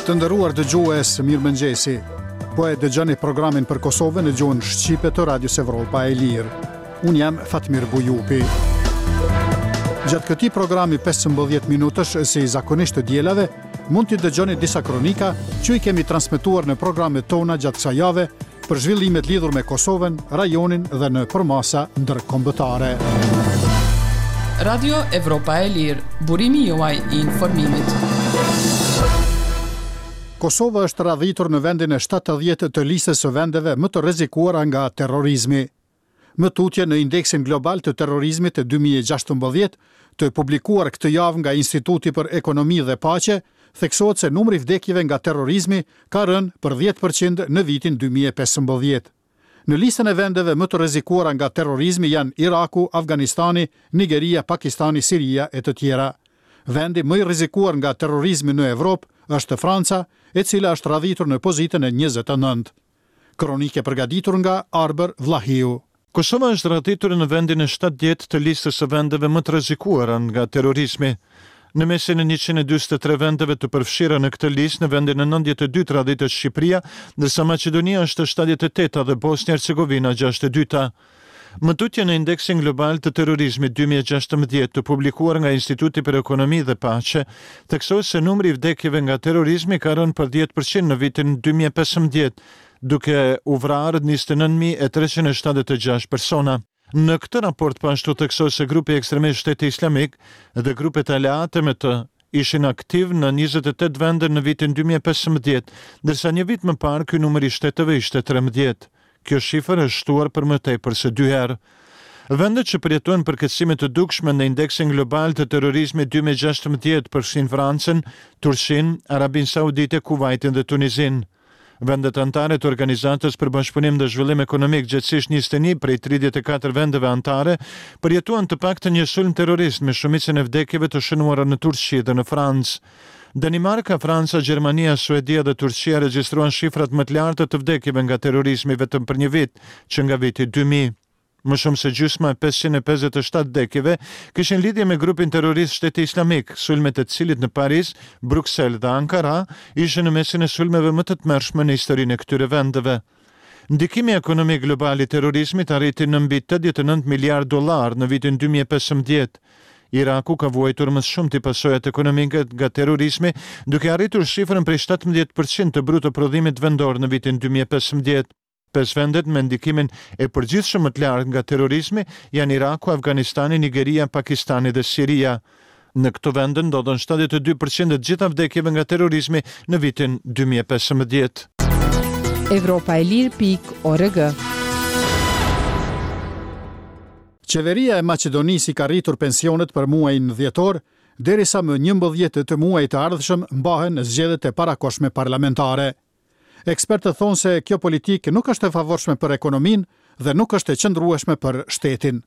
Të nderuar dëgjues, mirëmëngjesi. Po e dëgjoni programin për Kosovën në gjuhën shqipe të Radios Evropa e Lirë. Unë jam Fatmir Bujupi. Gjatë këtij programi 15 minutësh, si zakonisht të dielave, mund t'i dëgjoni disa kronika që i kemi transmetuar në programet tona gjatë kësaj jave për zhvillimet lidhur me Kosovën, rajonin dhe në përmasa ndërkombëtare. Radio Evropa e Lirë, burimi juaj i informimit. Kosova është radhitur në vendin e 70 të listës së vendeve më të rrezikuara nga terrorizmi. Më tutje në Indeksin Global të Terrorizmit të 2016, të publikuar këtë javë nga Instituti për Ekonomi dhe Paqe, theksohet se numri i vdekjeve nga terrorizmi ka rënë për 10% në vitin 2015. Në listën e vendeve më të rrezikuara nga terrorizmi janë Iraku, Afganistani, Nigeria, Pakistani, Siria e të tjera. Vendi më i rrezikuar nga terrorizmi në Evropë është Franca, e cila është radhitur në pozitën e 29. Kronikë e përgatitur nga Arbër Vllahiu. Kosova është radhitur në vendin e 70 të listës së vendeve më të rrezikuara nga terrorizmi. Në mesin e 143 vendeve të përfshira në këtë listë, në vendin e 92 radhitet Shqipëria, ndërsa Maqedonia është 78-ta dhe Bosnja Hercegovina 62-ta. Më tutje në indeksin global të terrorizmit 2016 të publikuar nga Instituti për Ekonomi dhe Paqe, theksohet se numri i vdekjeve nga terrorizmi ka rënë për 10% në vitin 2015, duke u vrarë 29.376 persona. Në këtë raport po ashtu theksohet se grupi ekstremist Shteti Islamik dhe grupet aleate me të ishin aktiv në 28 vende në vitin 2015, ndërsa një vit më parë ky numër i shteteve ishte 13. Kjo shifër është shtuar për më tepër se dy herë. Vendet që përjetuan përkeqësime të dukshme në indeksin global të terrorizmit 2016 përfshin Francën, Turqinë, Arabinë Saudite, Kuwaitin dhe Tunizinë. Vendet anëtare të Organizatës për Bashkëpunim dhe Zhvillim Ekonomik, gjegjësisht 21 prej 34 vendeve anëtare, përjetuan të paktën një sulm terrorist me shumicën e vdekjeve të shënuara në Turqi dhe në Francë. Danimarka, Franca, Gjermania, Suedia dhe Turqia regjistruan shifrat më të larta të vdekjeve nga terrorizmi vetëm për një vit, që nga viti 2000. Më shumë se gjysma e 557 vdekjeve kishin lidhje me grupin terrorist Shteti Islamik, sulmet e të cilit në Paris, Bruksel dhe Ankara ishin në mesin e sulmeve më të tmerrshme në historinë e këtyre vendeve. Ndikimi ekonomik global i terrorizmit arriti në mbi 89 miliard dollar në vitin 2015. Iraku ka vuajtur më së shumti pasojat ekonomike nga terrorizmi, duke arritur shifrën prej 17% të bruto prodhimit vendor në vitin 2015. Pesë vendet me ndikimin e përgjithshëm më të lartë nga terrorizmi janë Iraku, Afganistani, Nigeria, Pakistani dhe Siria. Në këto vende ndodhën 72% e të gjitha vdekjeve nga terrorizmi në vitin 2015. Evropa e lirë pikë org. Qeveria e Maqedonisë i ka rritur pensionet për muajin dhjetor, derisa më 11 të muajit të ardhshëm mbahen zgjedhjet e parakohshme parlamentare. Ekspertët thonë se kjo politikë nuk është e favorshme për ekonominë dhe nuk është e qëndrueshme për shtetin.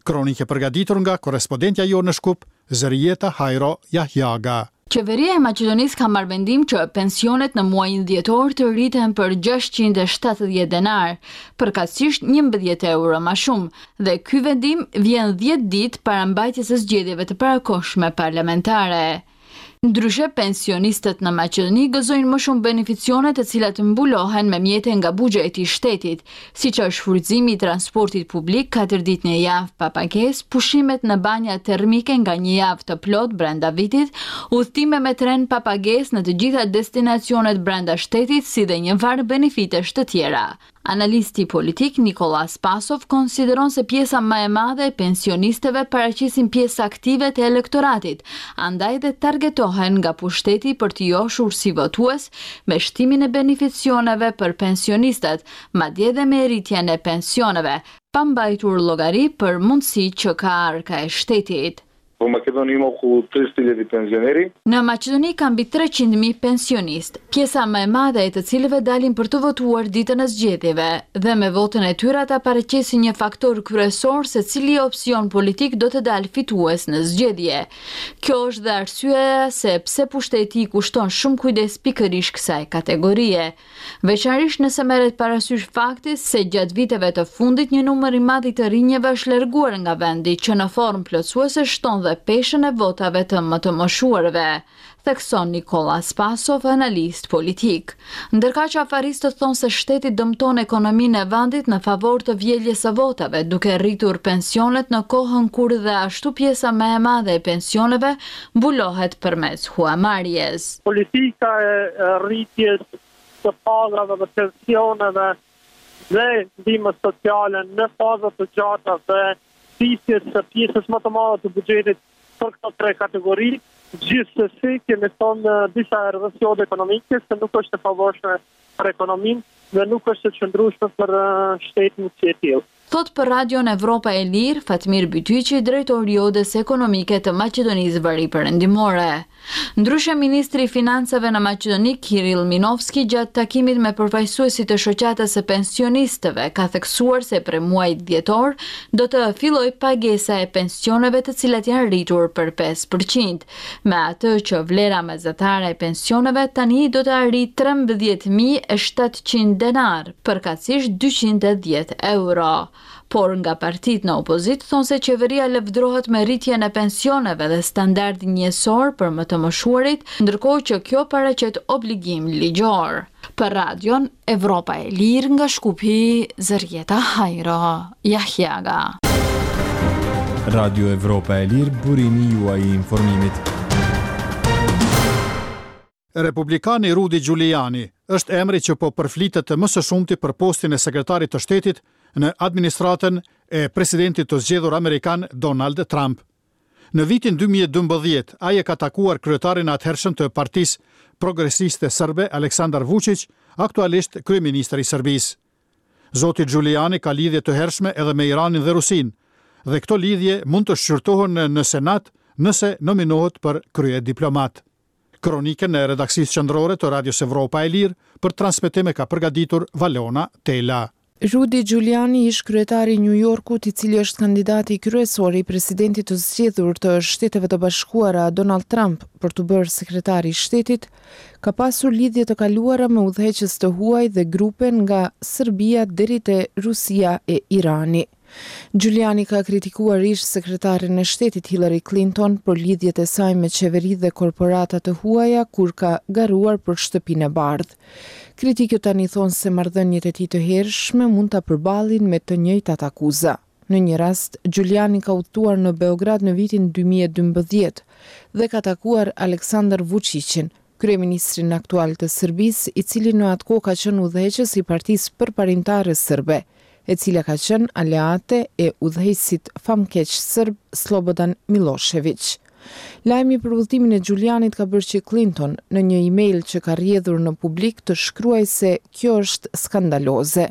Kronikë e përgatitur nga korrespondentja jonë në Shkup, Zërijeta Hajro Jahjaga. Qeveria e Maqedonisë ka marrë vendim që pensionet në muajin dhjetor të rriten për 670 denarë, përkatësisht 11 euro ma shumë, dhe ky vendim vjen 10 ditë para mbajtjes së zgjedhjeve të parakohshme parlamentare. Ndryshe, pensionistët në Maqedoni gëzojnë më shumë beneficione të cilat mbulohen me mjete nga buxheti i shtetit, siç është shfrytëzimi i transportit publik 4 ditë në javë pa pagesë, pushimet në banja termike nga një javë të plotë brenda vitit, udhëtime me tren pa pagesë në të gjitha destinacionet brenda shtetit, si dhe një varg benefitesh të tjera. Analisti politik Nikolla Spasov konsideron se pjesa më e madhe e pensionistëve paraqesin pjesë aktive të elektoratit, andaj dhe targetohen nga pushteti për t'i joshur si votues me shtimin e beneficioneve për pensionistët, madje dhe me rritjen e pensioneve, pa mbajtur llogari për mundësitë që ka arka e shtetit. Во Македонија има околу 300.000 пензионери. Në Maqedoni ka mbi 300.000 pensionistë, pjesa më e madhe e të cilëve dalin për të votuar ditën e zgjedhjeve, dhe me votën e tyre ata paraqesin një faktor kryesor se cili opsion politik do të dalë fitues në zgjedhje. Kjo është dhe arsyeja se pse pushteti i kushton shumë kujdes pikërisht kësaj kategorie. Veçanërisht nëse merret parasysh fakti se gjatë viteve të fundit një numër i madh i të rinjve është larguar nga vendi, që në formë plotësuese shton dhe peshën e votave të më të moshuarve, thekson Nikolla Spasov, analist politik. Ndërkaq afaristët thonë se shteti dëmton ekonominë e vendit në favor të vjeljes së votave, duke rritur pensionet në kohën kur dhe ashtu pjesa më e madhe e pensioneve mbulohet përmes huamarrjes. Politika e rritjes së pagave dhe pensioneve dhe ndihmës sociale në faza të gjata dhe thithjes së pjesës më të madhe të buxhetit për këto tre kategori, gjithsesi kemi thënë disa herë dhe si odë ekonomike se nuk është e favorshme për ekonominë dhe nuk është e qëndrueshme për shtetin si e tillë. Thotë për Radion Evropa e Lirë, Fatmir Bytyqi, drejtor i Odës Ekonomike të Maqedonisë Veriperëndimore. Ndryshe, ministri i Financave në Maqedoni, Kiril Minovski, gjatë takimit me përfaqësuesit e Shoqatës së Pensionistëve, ka theksuar se prej muajit dhjetor do të fillojë pagesa e pensioneve të cilat janë rritur për 5%, me atë që vlera mesatare e pensioneve tani do të arrijë 13.700 denarë, përkatësisht 210 euro. Por nga partitë në opozitë thonë se qeveria lëvdrohet me rritjen e pensioneve dhe standardin jetësor për më të moshuarit, ndërkohë që kjo paraqet obligim ligjor. Për Radion Evropa e Lirë nga Shkupi, Zërjeta Hajro, Jahjaga. Radio Evropa e Lirë, burimi juaj i informimit. Republikani Rudy Giuliani është emri që po përflitet më së shumti për postin e sekretarit të shtetit në administratën e presidentit të zgjedhur amerikan Donald Trump. Në vitin 2012, ai e ka takuar kryetarin e atëhershëm të Partisë Progresiste Serbe, Aleksandar Vučić, aktualisht kryeministër i Serbisë. Zoti Giuliani ka lidhje të hershme edhe me Iranin dhe Rusinë, dhe këto lidhje mund të shqyrtohen në Senat nëse nominohet për kryediplomat. Kronikën e redaksisë qendrore të Radios Evropa e Lirë për transmetim e ka përgatitur Valona Tela. Rudy Giuliani, ish-kryetari i Nju Jorkut, i cili është kandidati kryesor i presidentit të zgjedhur të Shteteve të Bashkuara, Donald Trump, për t'u bërë sekretar i shtetit, ka pasur lidhje të kaluara me udhëheqës të huaj dhe grupe nga Serbia deri te Rusia e Irani. Giuliani ka kritikuar ish-sekretaren e shtetit Hillary Clinton për lidhjet e saj me qeveri dhe korporata të huaja kur ka garuar për Shtëpinë e Bardhë. Kritikët tani thonë se marrëdhëniet e tij të hershme mund ta përballin me të njëjtat akuza. Në një rast, Giuliani ka udhëtuar në Beograd në vitin 2012 dhe ka takuar Aleksandar Vuçiqin, kryeministrin aktual të Serbisë, i cili në atë kohë ka qenë udhëheqës i Partisë Përparimtare Serbe, e cila ka qenë aleate e udhëheqësit famëkeq serb Slobodan Millosheviq. Lajmi për udhëtimin e Giulianit ka bërë që Clinton, në një email që ka rrjedhur në publik, të shkruajë se kjo është skandaloze.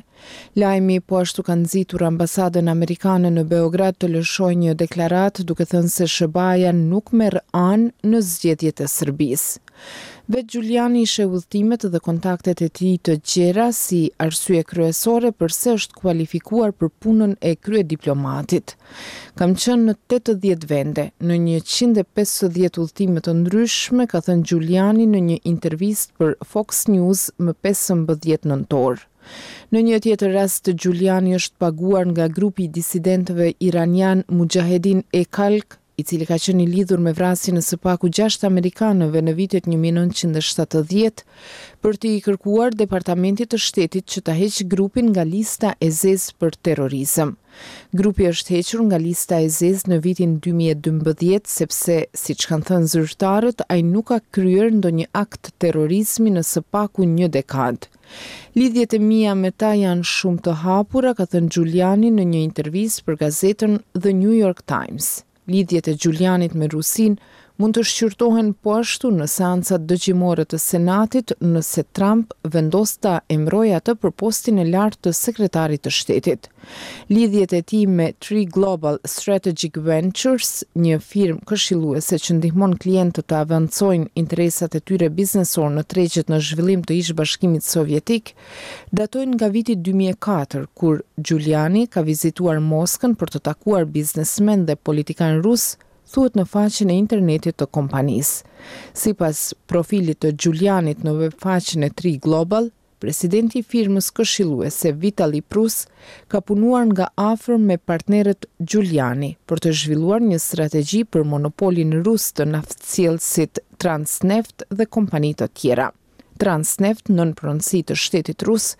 Lajmi po ashtu ka nxitur ambasadën amerikane në Beograd të lëshojë një deklaratë duke thënë se SHBA-ja nuk merr anë në zgjedhjet e Serbisë. Vetë Giuliani i sheh udhëtimet dhe kontaktet e tij të gjera si arsye kryesore përse është kualifikuar për punën e kryediplomatit. Kam qenë në 80 vende, në 150 udhëtime të ndryshme, ka thënë Giuliani në një intervistë për Fox News më 15 nëntor. Në një tjetër rast, Giuliani është paguar nga grupi i disidentëve iranian Mujahedin e Khalq i cili ka qenë i lidhur me vrasjen e së paku gjashtë amerikanëve në vitet 1970, për t'i kërkuar Departamentit të Shtetit që ta heqë grupin nga lista e zezë për terrorizëm. Grupi është hequr nga lista e zezë në vitin 2012 sepse, siç kanë thënë zyrtarët, ai nuk ka kryer ndonjë akt terrorizmi në së paku një dekadë. Lidhjet e mia me ta janë shumë të hapura, ka thënë Giuliani në një intervistë për gazetën The New York Times. Lidhjet e Giulianit me Rusinë mund të shqyrtohen po ashtu në seancat dëgjimore të Senatit nëse Trump vendos ta emërojë atë për postin e lartë të Sekretarit të Shtetit. Lidhjet e tij me Tri Global Strategic Ventures, një firmë këshilluese që ndihmon klientët të avancojnë interesat e tyre biznesorë në tregjet në zhvillim të ish-Bashkimit Sovjetik, datojnë nga viti 2004, kur Giuliani ka vizituar Moskën për të takuar biznesmenë dhe politikanë rusë, thuhet në faqen e internetit të kompanisë. Sipas profilit të Giulianit në webfaqen e Tri Global, presidenti i firmës këshilluese Vitali Prus ka punuar nga afër me partnerët Giuliani për të zhvilluar një strategji për monopolin rus të naftësjellësit Transneft dhe kompani të tjera. Transneft, nën pronësi të shtetit rus,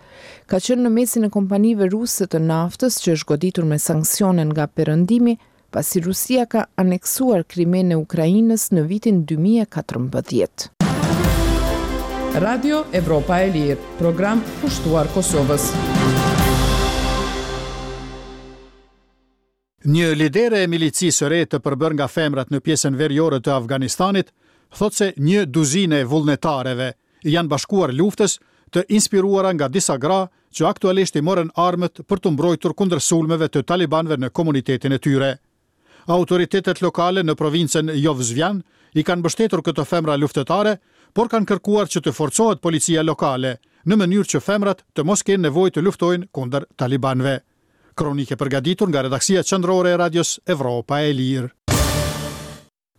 ka qenë në mesin e kompanive ruse të naftës që është goditur me sanksione nga Perëndimi, pasi Rusia ka aneksuar Krimenë e Ukrainës në vitin 2014. Radio Evropa e Lirë, program kushtuar Kosovës. Një lidere e milicisë së re të përbërë nga femrat në pjesën veriore të Afganistanit thotë se një duzinë e vullnetareve i janë bashkuar luftës të inspiruara nga disa gra që aktualisht i morën armët për t'u mbrojtur kundër sulmeve të talibanëve në komunitetin e tyre. Autoritetet lokale në provincën Jovzvjan i kanë mbështetur këto femra luftëtare, por kanë kërkuar që të forcohet policia lokale, në mënyrë që femrat të mos kenë nevojë të luftojnë kundër talibanëve. Kronikë e përgatitur nga redaksia qendrore e Radios Evropa e Lirë.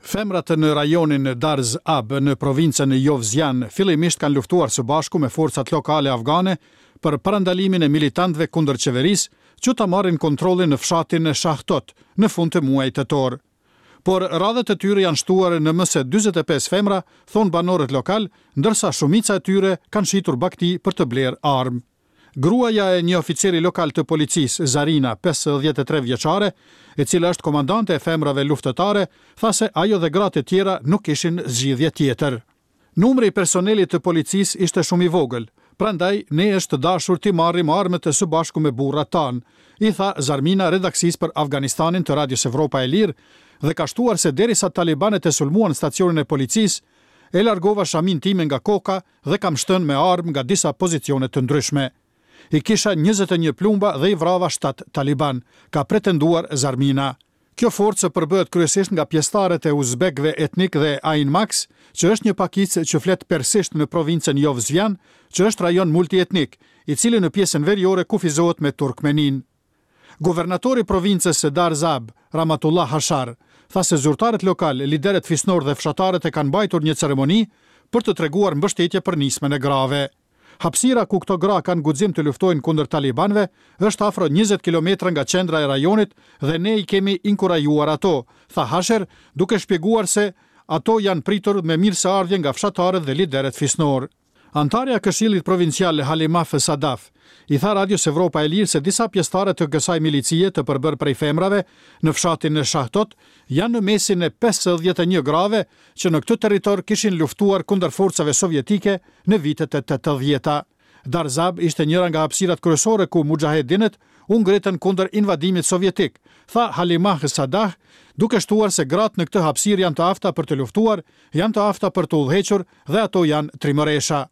Femrat në rajonin Darz Ab në provincën Jovzjan fillimisht kanë luftuar së bashku me forcat lokale afgane për parandalimin e militantëve kundër qeverisë që ta marrin kontrollin në fshatin Shahtot në fund të muajit tetor. Por radhët e tyre janë shtuar në më se 45 femra, thonë banorët lokalë, ndërsa shumica e tyre kanë shitur bagëti për të blerë armë. Gruaja e një oficeri lokal të policisë, Zarina, 53 vjeçare, e cila është komandante e femrave luftëtare, tha se ajo dhe gratë e tjera nuk kishin zgjidhje tjetër. Numri i personelit të policisë ishte shumë i vogël, prandaj ne është dashur t'i marrim armët së bashku me burrat tanë, i tha Zarmina redaksisë për Afganistanin të Radios Evropa e Lirë dhe ka shtuar se derisa talibanët e sulmuan stacionin e policisë, e largova shaminë time nga koka dhe kam shtënë me armë nga disa pozicione të ndryshme. I kisha 21 plumba dhe i vrava 7 talibanë, ka pretenduar Zarmina. Kjo forcë përbëhet kryesisht nga pjesëtarët e uzbekëve etnik dhe Ainmaks, që është një pakicë që flet persisht në provincën Jovzvjan, që është rajon multietnik, i cili në pjesën veriore kufizohet me Turkmeninë. Guvernatori i provincës së Darzab, Ramatullah Hashar, tha se zyrtarët lokalë, liderët fisnorë dhe fshatarët e kanë mbajtur një ceremoni për të treguar mbështetje për nismën e grave. Hapësira ku këto gra kanë guxim të luftojnë kundër talibanëve është afro 20 kilometra nga qendra e rajonit dhe ne i kemi inkurajuar ato, tha Hasher, duke shpjeguar se ato janë pritur me mirëseardhje nga fshatarët dhe liderët fisnorë. Anëtarja e Këshillit Provincial Halimah Sadaf i tha Radios Evropa e Lirë se disa pjesëtare të kësaj milicie të përbërë prej femrave në fshatin Shahtot janë në mesin e 51 grave që në këtë territor kishin luftuar kundër forcave sovjetike në vitet e 80-ta. Darzab ishte njëra nga hapësirat kryesore ku muxhahedinët u ngritën kundër invadimit sovjetik, tha Halimah Sadah, duke shtuar se gratë në këtë hapësirë janë të afta për të luftuar, janë të afta për të udhëhequr dhe ato janë trimëresha.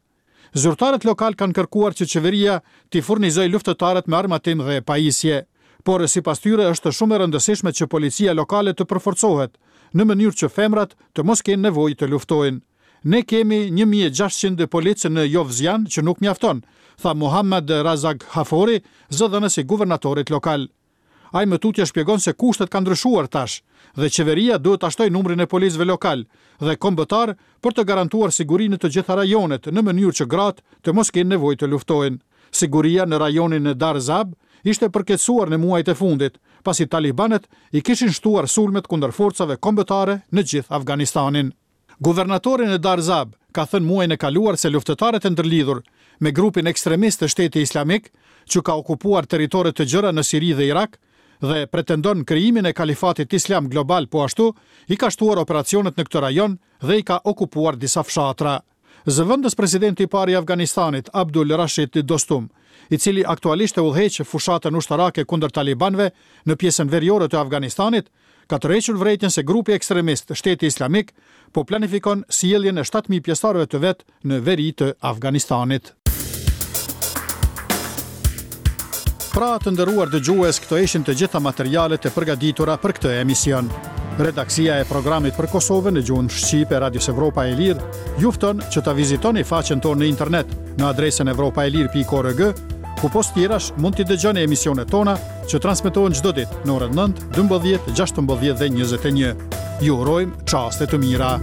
Zyrtarët lokalë kanë kërkuar që qeveria t'i furnizojë luftëtarët me armatim dhe pajisje. Por sipas tyre është shumë e rëndësishme që policia lokale të përforcohet, në mënyrë që femrat të mos kenë nevojë të luftojnë. Ne kemi 1600 policë në Jovzjan që nuk mjafton, tha Muhammad Razak Hafori, zëdhënës i guvernatorit lokal. Ai më tutje shpjegon se kushtet kanë ndryshuar tash dhe qeveria duhet ta shtojë numrin e policëve lokalë dhe kombëtar për të garantuar sigurinë në të gjitha rajonet në mënyrë që gratë të mos kenë nevojë të luftojnë. Siguria në rajonin Darzab ishte përkeqësuar në muajt e fundit, pasi talibanët i kishin shtuar sulmet kundër forcave kombëtare në gjithë Afganistanin. Guvernatori në Darzab ka thënë muajin e kaluar se luftëtarët e ndërlidhur me grupin ekstremist të Shteti Islamik, që ka okupuar territore të gjera në Siri dhe Irak dhe pretendon krijimin e Kalifatit Islam global po ashtu, i ka shtuar operacionet në këtë rajon dhe i ka okupuar disa fshatra. Zëvendës presidenti i parë i Afganistanit, Abdul Rashid Dostum, i cili aktualisht e udhëheq fushatën ushtarake kundër talibanëve në pjesën veriore të Afganistanit, ka tërhequr vërejtjen se grupi ekstremist Shteti Islamik po planifikon sjelljen e 7000 pjesëtarëve të vet në veri të Afganistanit. Pra, të nderuar dëgjues, këto ishin të gjitha materialet e përgatitura për këtë emision. Redaksia e programit për Kosovën në gjuhën shqipe Radios Evropa e Lirë ju fton që ta vizitoni faqen tonë në internet në adresën evropaelire.org, ku pos tjerash mund t'i dëgjoni emisionet tona që transmetohen çdo ditë në orën 9, 12, 16 dhe 21. Ju urojmë çaste të mira.